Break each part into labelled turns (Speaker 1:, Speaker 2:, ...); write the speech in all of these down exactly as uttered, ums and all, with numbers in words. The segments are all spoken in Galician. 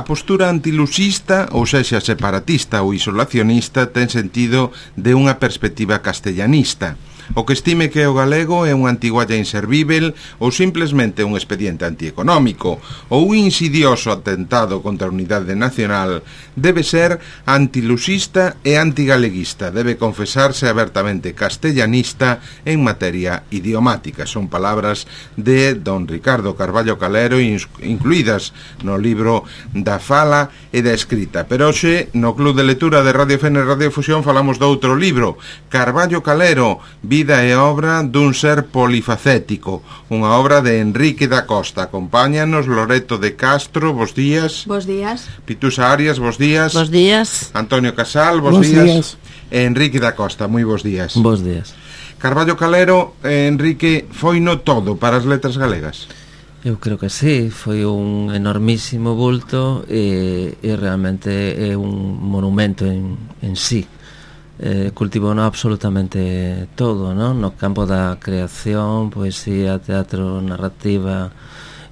Speaker 1: A postura antiluxista, ou sexa separatista ou isolacionista, ten sentido de unha perspectiva castellanista. O que estime que o galego é unha antigualla inservível ou simplemente un expediente antieconómico ou un insidioso atentado contra a unidade nacional debe ser antiluxista e antigaleguista, debe confesarse abertamente castellanista en materia idiomática. Son palabras de don Ricardo Carballo Calero incluídas no libro da fala e da escrita. Pero hoxe no Club de Lectura de Radio Fene Radio Fusión falamos de outro libro, Carballo Calero, Vida e obra dun ser polifacético, unha obra de Enrique da Costa. Acompáñanos Loreto de Castro, bos días.
Speaker 2: Bos días.
Speaker 1: Pitusa Arias, bos días.
Speaker 3: Bos días.
Speaker 1: Antonio Casal, bos,
Speaker 4: bos días.
Speaker 1: días. E Enrique da Costa, moi bos días.
Speaker 3: Bos días.
Speaker 1: Carballo Calero, eh, Enrique, foi no todo para as letras galegas?
Speaker 3: Eu creo que sí, foi un enormísimo bulto e, e realmente é un monumento en, en sí. Eh, cultivou no absolutamente todo, non? No campo da creación, poesía, teatro, narrativa,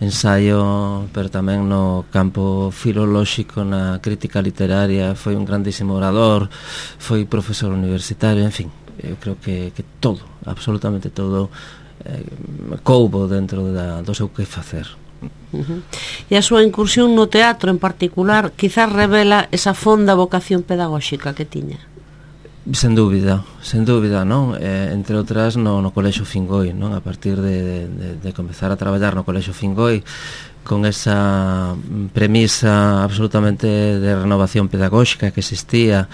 Speaker 3: ensaio, pero tamén no campo filolóxico, na crítica literaria, foi un grandísimo orador, foi profesor universitario, en fin, eu creo que, que todo, absolutamente todo eh, coubo dentro da, do seu que facer.
Speaker 2: Uh-huh. E a súa incursión no teatro en particular quizás revela esa fonda vocación pedagóxica que tiña.
Speaker 3: Sen dúbida, sen dúbida, non? Eh, entre outras no, no Colexio Fingoi, non? A partir de, de, de comezar a traballar no Colexio Fingoi con esa premisa absolutamente de renovación pedagóxica que existía,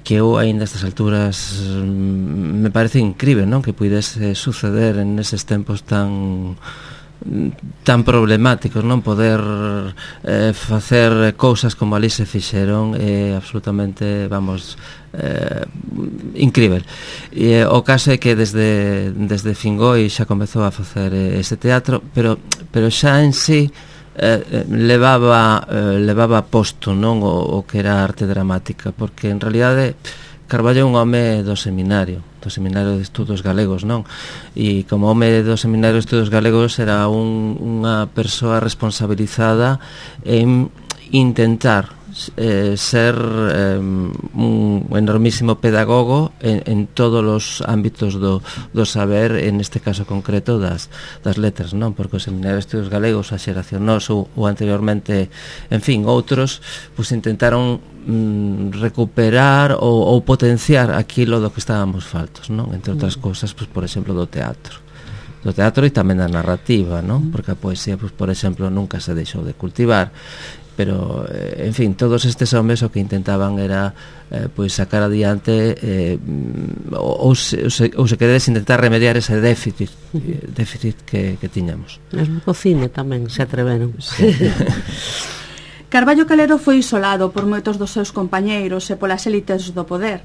Speaker 3: que eu aínda a estas alturas me parece incrível, non? Que pudese suceder en eses tempos tan tan problemáticos, non? Poder eh, facer cousas como ali se fixeron é eh, absolutamente, vamos, eh, incrível. E eh, o caso é que desde desde Fingoi xa comezou a facer eh, ese teatro, pero pero xa en sí eh, levaba eh, levaba posto, non, o, o que era arte dramática, porque en realidade Carballo é un home do seminario, do Seminario de Estudos Galegos, non? E como home do Seminario de Estudos Galegos era un, unha persoa responsabilizada en intentar eh, ser eh, un enormísimo pedagogo en, en todos os ámbitos do, do saber, en este caso concreto das, das letras, non? Porque o Seminario de Estudos Galegos, a xeración noso ou anteriormente, en fin, outros, pues intentaron mm, recuperar ou, ou potenciar aquilo do que estábamos faltos, non? Entre outras cousas, pues, por exemplo, do teatro do teatro e tamén da narrativa, non? Porque a poesía, pues, por exemplo, nunca se deixou de cultivar, pero, eh, en fin, todos estes homes o que intentaban era eh, pois sacar adiante eh, ou, se, ou, se, ou se queredes intentar remediar ese déficit eh, déficit que, que tiñamos.
Speaker 2: Mesmo co cine tamén se atreveron.
Speaker 3: Sí.
Speaker 5: Carballo Calero foi isolado por moitos dos seus compañeiros e polas élites do poder.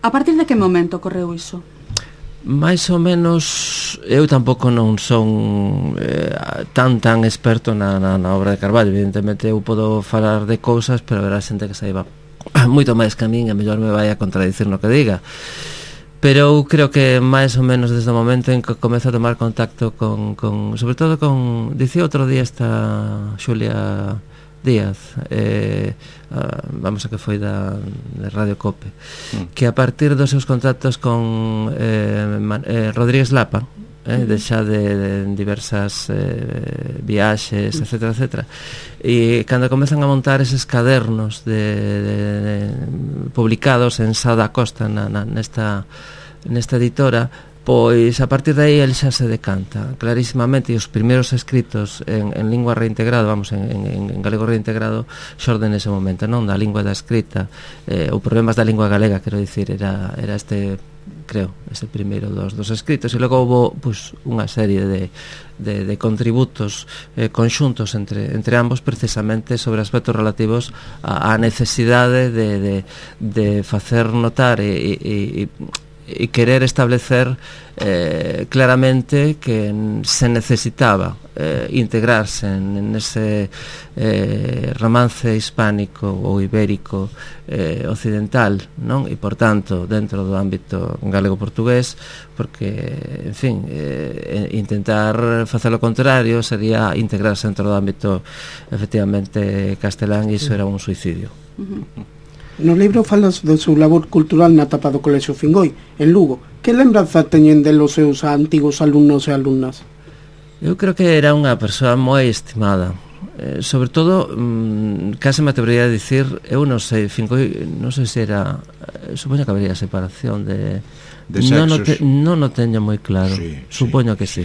Speaker 5: A partir de que momento ocorreu iso?
Speaker 3: Mais ou menos, eu tampouco non son eh, tan tan experto na, na, na obra de Carballo. Evidentemente eu podo falar de cousas, pero haberá xente que saiba moito máis que a min e mellor me vai a contradicir no que diga. Pero eu creo que máis ou menos desde o momento en que comezo a tomar contacto con, con sobre todo con, dicía outro día esta Xulia Díaz, eh, uh, vamos a que foi da de Radio Cope, mm. que a partir dos seus contactos con eh, Man, eh, Rodríguez Lapa, eh, de xa de, de diversas eh, viaxes, etcétera, etcétera, e cando comezan a montar eses cadernos de, de, de, publicados en Sá da Costa na, na, nesta, nesta editora, pois a partir de aí el xa se decanta clarísimamente, e os primeiros escritos en, en lingua reintegrado, vamos, en, en, en galego reintegrado, xorden nese momento, non? Da lingua da escrita, eh, ou problemas da lingua galega, quero dicir, era, era este, creo, ese primeiro dos, dos escritos, e logo houve, pues, unha serie de, de, de contributos eh, conxuntos entre, entre ambos, precisamente sobre aspectos relativos á necesidade de, de, de facer notar e, e, e e querer establecer eh, claramente que se necesitaba eh, integrarse en, en ese eh, romance hispánico ou ibérico eh, occidental, non? E por tanto dentro do ámbito galego-portugués, porque en fin, eh, intentar facer o contrario sería integrarse dentro do ámbito efectivamente castelán, e iso era un suicidio.
Speaker 5: Uh-huh.
Speaker 4: No libro falas do seu labor cultural na tapa do Colexio Fingoi, en Lugo. Que lembranza teñen de los seus antigos alumnos e alumnas?
Speaker 3: Eu creo que era unha persoa moi estimada, eh, sobre todo mmm, case me atrevería a dicir, eu non sei, Fingoi, non sei se era, eh, supoño que habría separación de
Speaker 1: de sexos.
Speaker 3: Non o, te, non o teño moi claro,
Speaker 1: sí,
Speaker 3: supoño
Speaker 1: sí.
Speaker 3: que sí,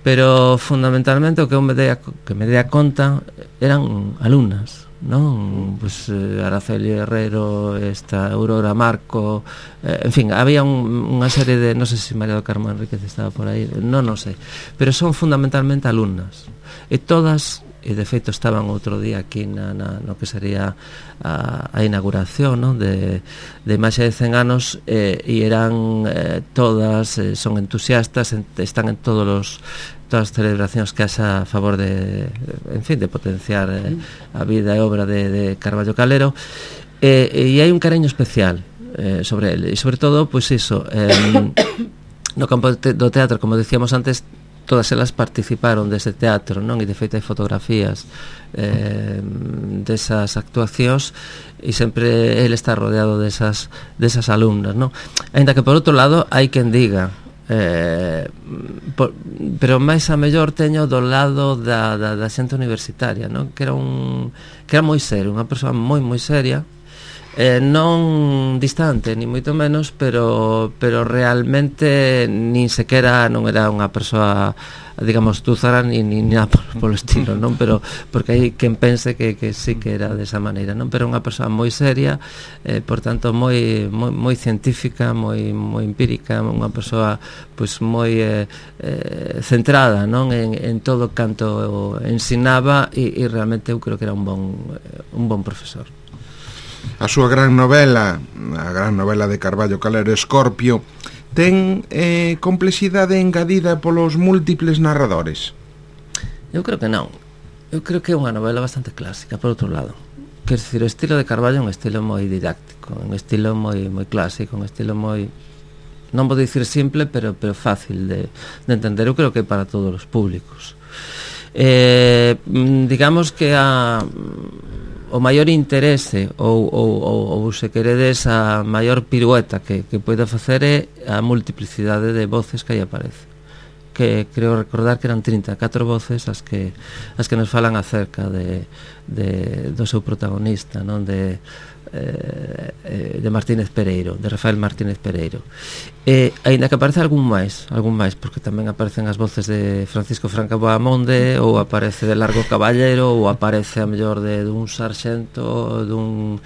Speaker 3: pero fundamentalmente o que eu me dei a, que me dei a conta eran alumnas, non? Pues eh, Araceli Herrero, esta Aurora Marco, eh, en fin, había un, unha serie de, non sei se María do Carmo Enríquez estaba por aí, non, non sei, pero son fundamentalmente alumnas, e todas, e de feito estaban outro día aquí na, na, no que sería a, a inauguración, non? de, de Imaxe de cen anos, eh, e eran eh, todas, eh, son entusiastas, en, están en todos os todas as celebracións que haxa a favor de, en fin, de potenciar eh, a vida e obra de, de Carballo Calero, eh, e hai un cariño especial eh, sobre ele, e sobre todo, pois pues iso, eh, no campo do teatro, como decíamos antes, todas elas participaron dese teatro, non? E de feito hai fotografías eh, desas actuacións, e sempre ele está rodeado desas, desas alumnas, non? Ainda que por outro lado hai quen diga, eh, por, pero máis a mellor teño do lado da, da, da xente universitaria, non? Que era un que era moi serio, unha persoa moi moi seria, eh, non distante ni moito menos, pero pero realmente nin sequera non era unha persoa, digamos, túzara ni, ni nada polo estilo, non? Pero porque hai quen pense que, que sí que era desa maneira, non? Pero unha persoa moi seria, eh, por tanto moi, moi, moi científica, moi, moi empírica, unha persoa pois moi eh, eh, centrada, non? En, en todo canto ensinaba, e, e realmente eu creo que era un bon, un bon profesor.
Speaker 1: A súa gran novela, a gran novela de Carballo Calero, Escorpio, ten eh, complexidade engadida polos múltiples narradores?
Speaker 3: Eu creo que non. Eu creo que é unha novela bastante clásica, por outro lado. Quer dizer, o estilo de Carballo é un estilo moi didáctico, un estilo moi moi clásico, un estilo moi, non vou dicir simple, pero pero fácil de, de entender. Eu creo que é para todos os públicos. Eh, digamos que a o maior interese ou, ou, ou, ou se queredes a maior pirueta que, que poida facer é a multiplicidade de voces que aí aparece, que creo recordar que eran trinta e catro voces as que as que nos falan acerca de, de do seu protagonista, non? De eh, de Martínez Pereiro, de Rafael Martínez Pereiro. E aínda que aparece algún máis, algún máis, porque tamén aparecen as voces de Francisco Franca Boamonde, ou aparece de Largo Caballero, ou aparece a mellor de dun sarxento, dun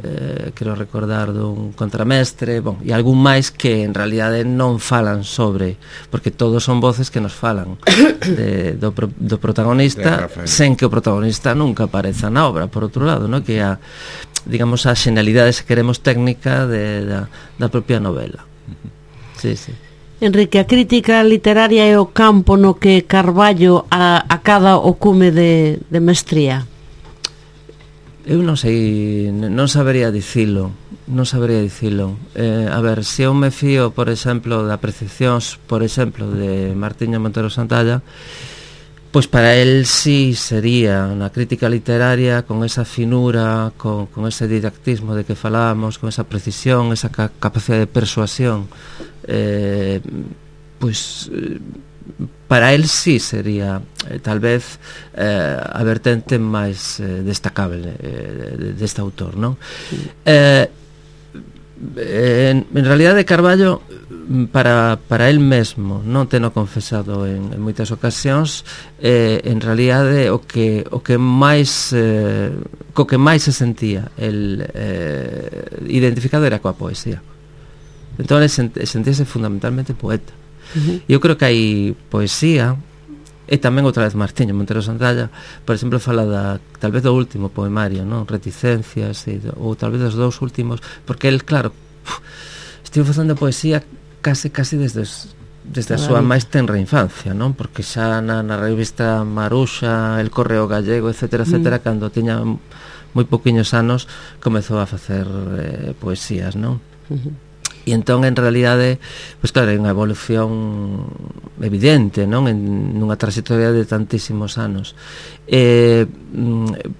Speaker 3: eh, quero recordar dun contramestre, bon, e algún máis que en realidade non falan sobre, porque todos son voces que nos falan de, do, do protagonista, sen que o protagonista nunca apareza na obra, por outro lado, no? Que a, digamos, a xenalidade, se queremos, técnica de, da, da propia novela. Sí, sí.
Speaker 2: Enrique, a crítica literaria é o campo no que Carballo a, a cada o cume de, de mestría?
Speaker 3: Eu non sei, non sabería dicilo, non sabería dicilo. Eh, a ver, se eu me fío, por exemplo, de apreciacións, por exemplo, de Martiño Montero Santalla, pois para él sí sería na crítica literaria, con esa finura, con, con ese didactismo de que falábamos, con esa precisión, esa ca capacidade de persuasión, eh, pois para él sí sería eh, tal vez eh, a vertente máis eh, destacable eh, deste autor, non? Eh, en, en realidade Carballo, para, para el mesmo, non teno confesado en, en moitas ocasións, eh, en realidade o que, o que máis eh, co que máis se sentía el eh, identificado era coa poesía. Entón ele sent, sentíase fundamentalmente poeta. Uh-huh. Eu creo que hai poesía, e tamén outra vez Martiño Montero Santalla, por exemplo, fala da, tal vez do último poemario, non? Reticencias, e, ou tal vez dos dous últimos, porque el, claro, uf, estive facendo poesía case, case desde os, desde a súa máis tenra infancia, non? Porque xa na, na revista Maruxa, El Correo Gallego, etcétera, etcétera, mm. cando tiña moi poquinhos anos comezou a facer eh, poesías, non? Uh-huh. E entón, en realidade, pois claro, é unha evolución evidente, non? En nunha trayectoria de tantísimos anos. Eh,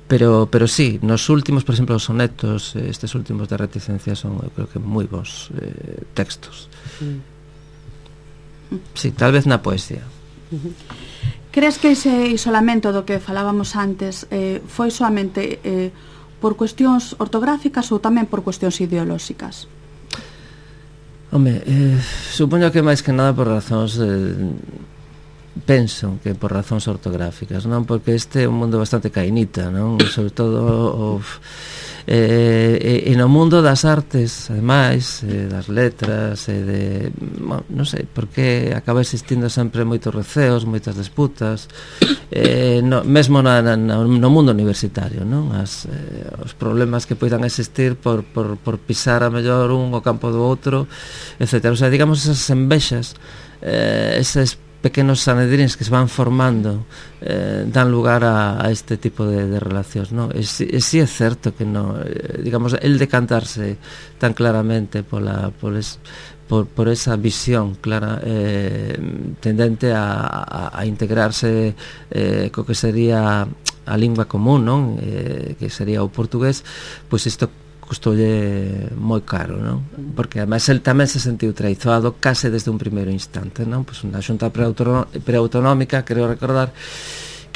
Speaker 3: pero, pero sí, nos últimos, por exemplo, os sonetos, estes últimos de Reticencia son, eu creo que, moi bons eh, textos. Mm. Sí, tal vez na poesía.
Speaker 5: Uh-huh. Crees que ese isolamento do que falábamos antes eh, foi soamente eh, por cuestións ortográficas ou tamén por cuestións ideolóxicas?
Speaker 3: Home, eh, supoño que máis que nada por razóns eh, penso que por razóns ortográficas, non? Porque este é un mundo bastante cainita, non? E sobre todo o, eh, e, e no mundo das artes, ademais, eh, das letras e de, bueno, non sei, porque acaba existindo sempre moitos receos, moitas disputas, eh, no, mesmo na, na, no mundo universitario, non? As, eh, os problemas que poidan existir por, por, por pisar a mellor un o campo do outro, etcétera. O sea, digamos, esas envexas, eh, eses pequenos sanedrins que se van formando eh, dan lugar a, a este tipo de, de relacións, non? E si, e si é certo que no, eh, digamos, el decantarse tan claramente pola, por, es, por, por esa visión clara eh, tendente a, a, a integrarse eh, co que sería a lingua común, non? Eh, que sería o portugués, pois isto custoulle moi caro, non? Porque ademais el tamén se sentiu traizoado case desde un primeiro instante, non? Pois unha xunta preautonómica, creo recordar,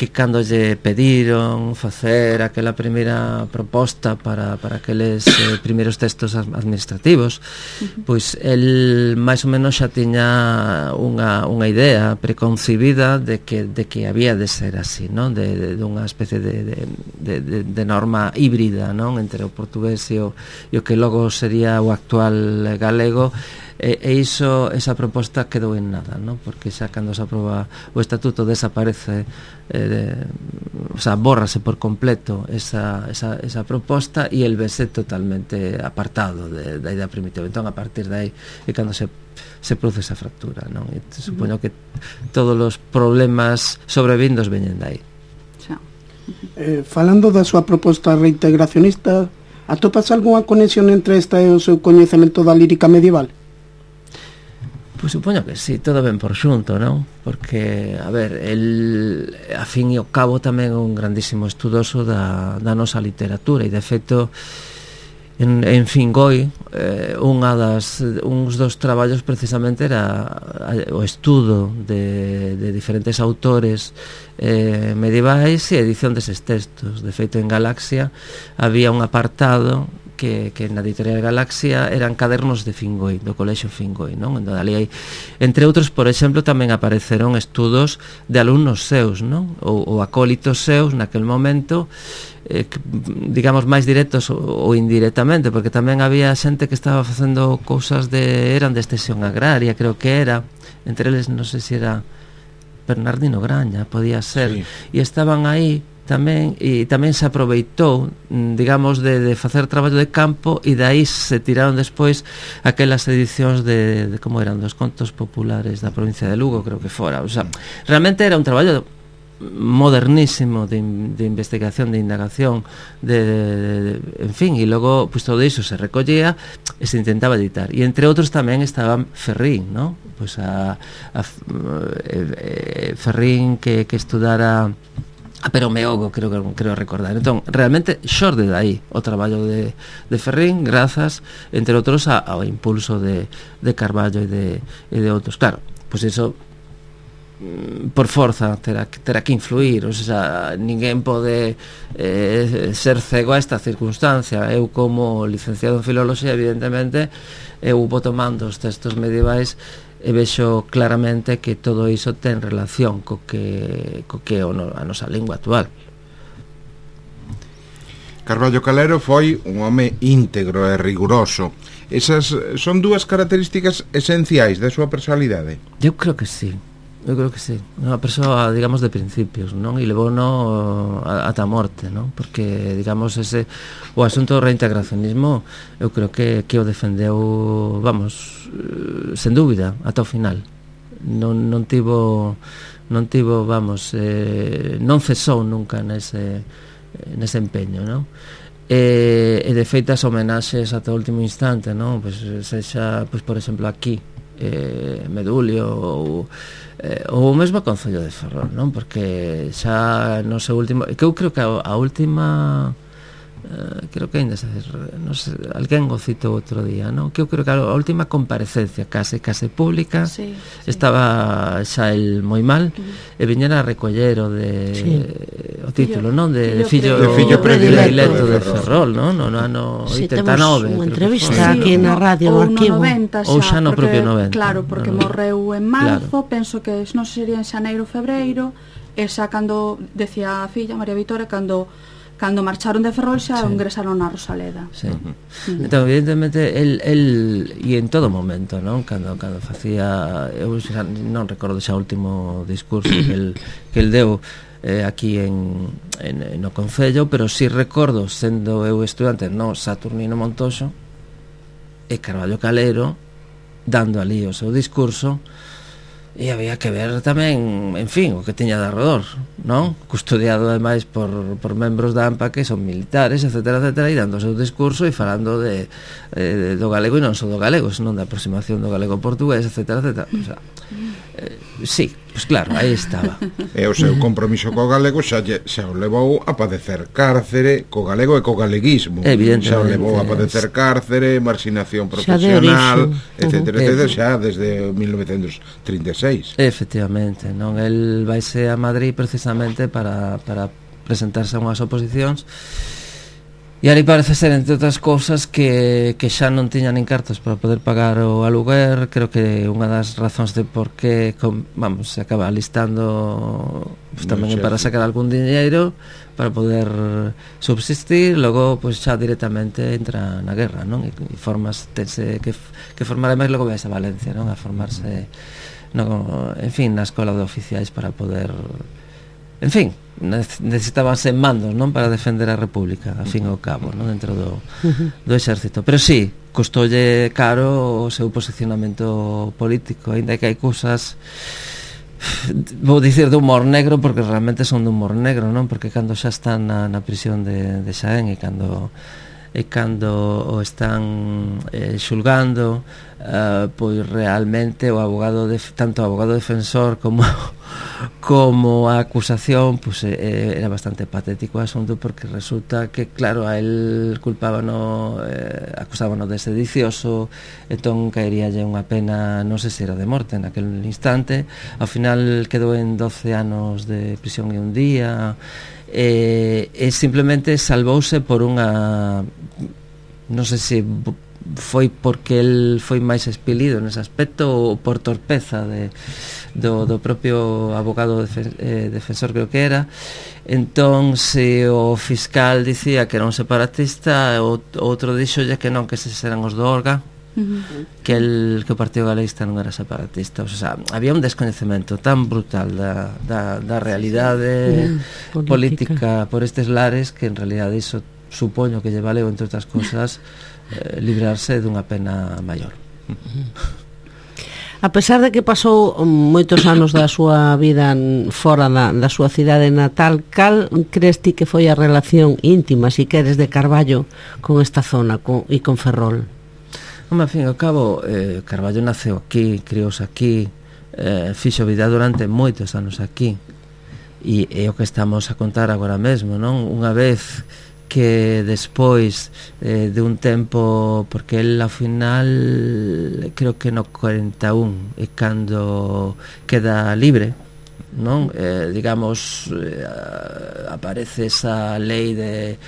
Speaker 3: que cando lle pediron facer aquela primeira proposta para, para aqueles eh, primeiros textos administrativos, uh-huh. pois el máis ou menos xa tiña unha, unha idea preconcibida de que, de que había de ser así, non? De, de, de unha especie de, de, de, de, de norma híbrida, non? Entre o portugués e o, e o que logo sería o actual galego. E, e iso, esa proposta quedou en nada, non? Porque xa cando se aproba o estatuto desaparece, eh, de, o sea, bórrase por completo esa, esa, esa proposta e el vese totalmente apartado de, da idea primitiva. Entón, a partir de aí é cando se, se produce esa fractura, non? E supoño que todos os problemas sobrevindos veñen de aí.
Speaker 4: Eh, falando da súa proposta reintegracionista, atopas algunha conexión entre esta e o seu coñecemento da lírica medieval?
Speaker 3: Pois supoño que sí, todo ben por xunto, non? Porque, a ver, el, a fin e ao cabo tamén é un grandísimo estudoso da, da nosa literatura e, de feito, en, en Fingoi, eh, unha das, uns dos traballos precisamente era o estudo de, de diferentes autores eh, medievais e edición deses textos. De feito, en Galaxia había un apartado que, que na editorial Galaxia eran cadernos de Fingoi, do colexio Fingoi, non? Entón, ali hai, entre outros, por exemplo, tamén apareceron estudos de alumnos seus, non? Ou, ou acólitos seus naquel momento, eh, que, digamos, máis directos ou, ou indirectamente, porque tamén había xente que estaba facendo cousas de, eran de extensión agraria, creo que era, entre eles, non sei se era Bernardino Graña, podía ser, sí. E estaban aí tamén, e tamén se aproveitou, digamos, de, de facer traballo de campo, e dai se tiraron despois aquelas edicións de, de como eran, dos contos populares da provincia de Lugo, creo que fora. O sea, realmente era un traballo modernísimo de, de investigación, de indagación, de, de, de, en fin, e logo pues, todo iso se recollía e se intentaba editar. E entre outros tamén estaba Ferrín, ¿no? Pues a, a, eh, Ferrín que, que estudara a Pero Meogo, creo, creo recordar. Entón, realmente xorde de aí o traballo de, de Ferrín, grazas, entre outros, a, ao impulso de, de Carballo e de, e de outros. Claro, pois pues iso por forza terá, terá que influir, o sea, ninguén pode eh, ser cego a esta circunstancia. Eu, como licenciado en Filoloxía, evidentemente, eu vou tomando os textos medievais e vexo claramente que todo iso ten relación co que, co que é a nosa lingua actual.
Speaker 1: Carballo Calero foi un home íntegro e riguroso. Esas son dúas características esenciais da súa personalidade?
Speaker 3: Eu creo que sí. Eu creo que sí, unha persoa, digamos, de principios, non? E levou no ata a morte, non? Porque, digamos, ese o asunto do reintegracionismo eu creo que, que o defendeu, vamos, sen dúbida, ata o final. non, non tivo non tivo, vamos, eh, non cesou nunca nese, nese empeño, non? E, e de feito as homenaxes ata o último instante, non? Pues, sexa, pues, por exemplo, aquí eh, Medulio ou, eh, ou mesmo Concello de Ferrol, non? Porque xa no seu último, que eu creo que a, a última Uh, creo que ainda se, no sé, alguén o citou outro día, non? Que eu creo que a última comparecencia case case pública sí, sí. estaba xa el moi mal uh-huh. e viñera a recoller o de sí. o título, non? De, de fillo,
Speaker 1: de fillo
Speaker 3: predilecto de Ferrol, non? No ano
Speaker 2: sí,
Speaker 3: oitenta e nove.
Speaker 2: Unha entrevista aquí na radio,
Speaker 5: no
Speaker 2: arquivo.
Speaker 5: noventa xa,
Speaker 3: ou xa no
Speaker 5: porque,
Speaker 3: propio noventa.
Speaker 5: Claro, porque no, no. morreu en marzo, claro. Penso que non sería en xaneiro, febreiro, e xa cando, decía a filla, María Vitória, cando cando marcharon de Ferrol xa sí. ingresaron na Rosaleda.
Speaker 3: Sí. Uh-huh. Entón, evidentemente, el, el e en todo momento, non? Cando, cando facía, eu xa non recordo xa o último discurso que el, que el deu eh, aquí en, en, no Concello, pero si sí recordo, sendo eu estudante no Saturnino Montoxo e Carballo Calero, dando ali o seu discurso, e había que ver tamén, en fin, o que tiña de arredor, non? Custodiado ademais por, por membros da AMPA que son militares, etcétera, etcétera, e dando o seu discurso e falando de, eh, do galego, e non só do galego, senón da aproximación do galego portugués, etcétera, etcétera. O sea, eh, sí, pois pues claro, aí estaba.
Speaker 1: E o seu compromiso co galego xa, xa o levou a padecer cárcere co galego e co galeguismo. Xa o levou a padecer cárcere, marxinación profesional, etcétera, etcétera, xa desde mil novecentos trinta e seis.
Speaker 3: Efectivamente, non? El vaise a Madrid precisamente para, para presentarse a unhas oposicións. E ali parece ser, entre outras cousas, que, que xa non tiña nin cartos para poder pagar o aluguer. Creo que unha das razóns de por que, com, vamos, se acaba alistando pues, tamén no, para sacar algún diñeiro para poder subsistir. Logo, pues, xa directamente entra na guerra, non? E, e formas, tense que, que formar, máis logo vais a Valencia, non? A formarse, no, en fin, na escola de oficiais para poder... En fin, necesitábanse mandos, non, para defender a República, a fin e ao cabo, non, dentro do, do exército. Pero sí, costoulle caro o seu posicionamento político, aínda que hai cousas, vou dicir, de humor negro, porque realmente son de humor negro, non? Porque cando xa están na, na prisión de, de Xaén e cando e cando o están eh, xulgando, uh, pois realmente o abogado de, tanto o abogado defensor como como a acusación, pois eh, era bastante patético o asunto, porque resulta que, claro, a él culpábano, eh, acusábano de sedicioso, entón caeríalle unha pena, non sei se era de morte naquele instante. Ao final quedou en doce anos de prisión e un día. E, e simplemente salvouse por unha, non sei se foi porque el foi máis expelido nese aspecto ou por torpeza de, do, do propio abogado defen, eh, defensor, creo que era. Entón, se o fiscal dicía que era un separatista, o outro dixolle que non, que eses eran os do Orga, uh-huh. que, el, que o Partido Galeguista non era separatista. O sea, había un descoñecemento tan brutal da, da, da realidade uh-huh. política. política por estes lares, que en realidade iso supoño que lle valeu, entre outras cosas, eh, librarse dunha pena maior.
Speaker 2: A pesar de que pasou moitos anos da súa vida fora da, da súa cidade natal, cal crees ti que foi a relación íntima, si queres, de Carballo con esta zona con, e con Ferrol?
Speaker 3: Home, ao fin e ao cabo, eh, Carballo naceu aquí, criou-se aquí, eh, fixo vida durante moitos anos aquí, e é o que estamos a contar agora mesmo, non? Unha vez que despois eh, de un tempo, porque el ao final creo que no cuarenta e un é cando queda libre, non? Eh, digamos, eh, aparece esa lei de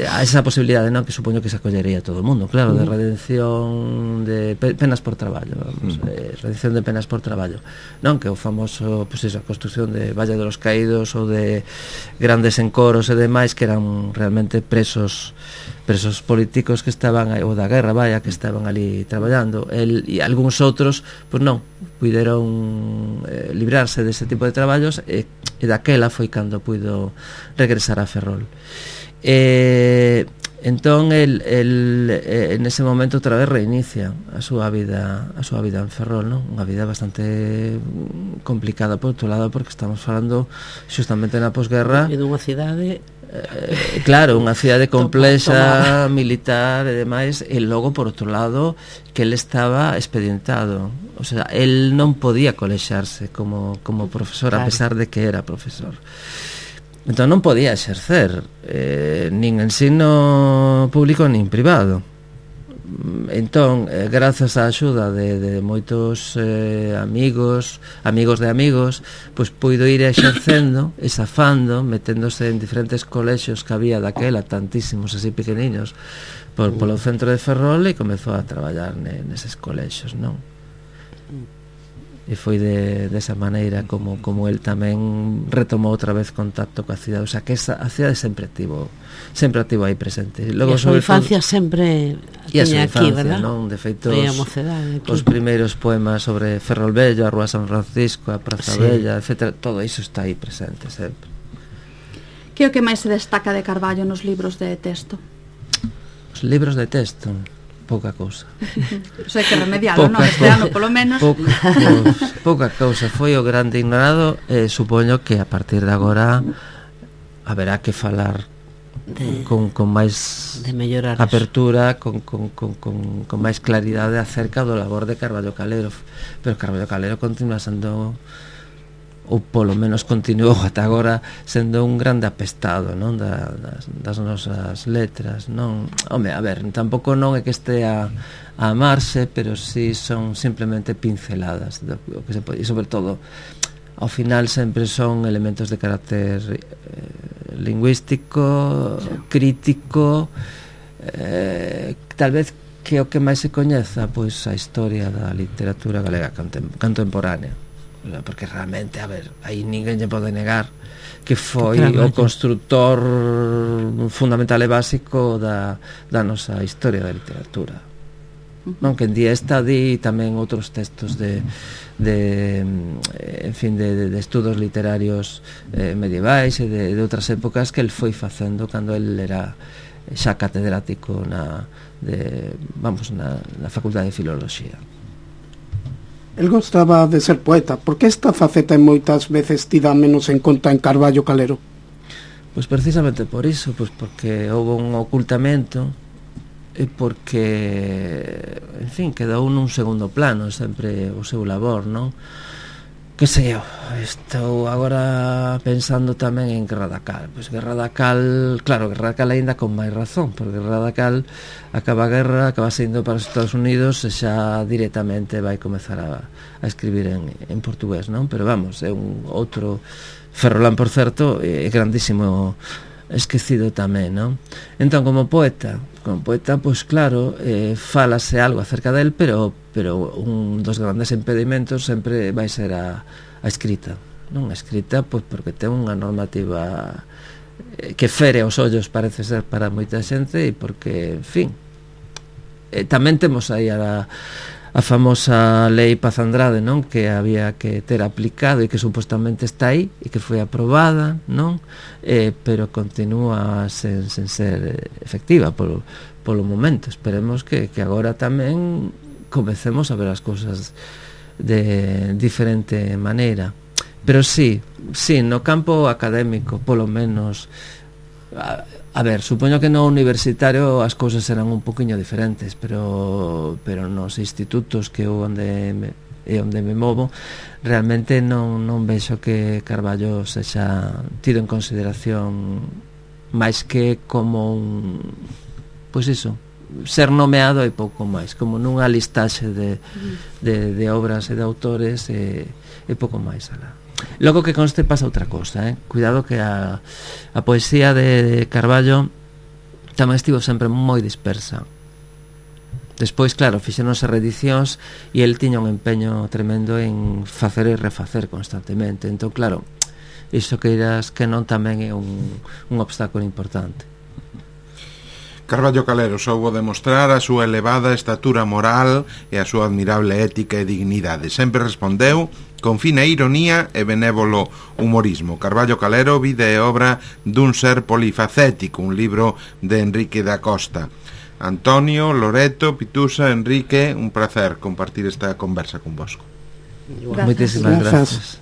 Speaker 3: a esa posibilidade, non, que supoño que se acollería todo o mundo, claro, de redención de penas por traballo, vamos, uh-huh. eh, redención de penas por traballo, non, que o famoso, pois pues, a construcción de Valle de los Caídos ou de grandes encoros e demais, que eran realmente presos presos políticos que estaban, ou da guerra, vaya, que estaban ali traballando. El e algúns outros, pois pues non, puideron eh, librarse dese tipo de traballos, e, e daquela foi cando puido regresar a Ferrol. Eh, Entón el, el eh, en ese momento outra vez reinicia a súa vida a súa vida en Ferrol, non? Unha vida bastante complicada por outro lado, porque estamos falando xustamente na posguerra
Speaker 2: e dunha cidade
Speaker 3: eh, claro, unha cidade complexa, militar e demais, e logo por outro lado que el estaba expedientado, o sea, el non podía colexarse como, como profesor, claro, a pesar de que era profesor. Entón non podía exercer eh, nin ensino público nin privado. Entón, eh, grazas á axuda de, de moitos eh, amigos, amigos de amigos, pois puido ir exercendo, exafando, meténdose en diferentes colexios que había daquela, tantísimos así pequeniños, por, polo centro de Ferrol, e comezou a traballar neses colexios, non? E foi de, desa maneira como, como el tamén retomou outra vez contacto coa cidade, o sea que esa, a cidade sempre ativo sempre ativo aí presente. Logo,
Speaker 2: e a súa infancia todo, sempre tiña aquí, verdad?
Speaker 3: Non? De feito, os, os primeiros poemas sobre Ferrolvello, a Rúa San Francisco, a Praza sí. Bella, etcétera, todo iso está aí presente sempre.
Speaker 5: Que é o que máis se destaca de Carballo nos libros de texto?
Speaker 3: Os libros de texto... pouca cousa.
Speaker 5: Sei que remedialo, non? Este ano, polo menos.
Speaker 3: Pouca, pues, pouca cousa. Foi o grande ignorado, e eh, supoño que a partir de agora haberá que falar de, con, con máis
Speaker 2: de mellorar
Speaker 3: apertura, con, con, con, con, con máis claridade acerca do labor de Carballo Calero. Pero Carballo Calero continúa sendo, ou polo menos continuou ata agora sendo un grande apestado, non, da, das, das nosas letras, non? Home, a ver, tampouco non é que estea a amarse, pero si sí son simplemente pinceladas do, do que se pode, e sobre todo ao final sempre son elementos de carácter eh, lingüístico, crítico, eh, tal vez que o que máis se coñeza, pois a historia da literatura galega contemporánea, porque realmente, a ver, aí ninguén lle pode negar que foi o constructor fundamental e básico da, da nosa historia da literatura. Non, que en día está di tamén outros textos de, de en fin, de, de, de estudos literarios eh, medievais e de, de outras épocas que el foi facendo cando el era xa catedrático na, de, vamos, na, na Facultade de Filoloxía.
Speaker 4: El gostaba de ser poeta. Por que esta faceta moitas veces tida menos en conta en Carballo Calero?
Speaker 3: Pois precisamente por iso, pois porque houve un ocultamento e porque, en fin, quedou nun segundo plano sempre o seu labor, non? Que sei eu, estou agora pensando tamén en Guerra da Cal. Pois Guerra da Cal, claro, Guerra da Cal aínda con máis razón, porque Guerra da Cal acaba a guerra, acaba saindo para os Estados Unidos e xa directamente vai comezar a, a escribir en, en portugués, non? Pero vamos, é un outro Ferrolán, por certo, é grandísimo esquecido tamén, non? Entón, como poeta, como poeta, pois claro, eh, falase algo acerca del, pero pero un dos grandes impedimentos sempre vai ser a, a escrita, non? A escrita, pois porque ten unha normativa eh, que fere os ollos, parece ser, para moita xente, e porque, en fin, eh, tamén temos aí a a famosa lei Paz Andrade, non? Que había que ter aplicado e que supostamente está aí e que foi aprobada, non? Eh, pero continúa sen, sen ser efectiva polo, polo momento. Esperemos que, que agora tamén comecemos a ver as cousas de diferente maneira. Pero sí, sí, no campo académico, polo menos, a, a ver, supoño que no universitario as cousas serán un poquinho diferentes, pero pero nos institutos que eu onde me, e onde me movo, realmente non, non vexo que Carballo sexa tido en consideración máis que como un, pois iso, ser nomeado e pouco máis, como nunha listaxe de, de, de obras e de autores e, e pouco máis alá. Logo que conste pasa outra cousa, eh? Cuidado que a, a poesía de Carballo tamén estivo sempre moi dispersa. Despois, claro, fixéronse reedicións e el tiña un empeño tremendo en facer e refacer constantemente. Entón, claro, iso que irás que non tamén é un, un obstáculo importante.
Speaker 1: Carballo Calero soubo demostrar a súa elevada estatura moral e a súa admirable ética e dignidade. Sempre respondeu con fina ironía e benévolo humorismo. Carballo Calero, vida e obra dun ser polifacético, un libro de Enrique da Costa. Antonio, Loreto, Pitusa, Enrique, un placer compartir esta conversa con vosco.
Speaker 3: Moitísimas grazas.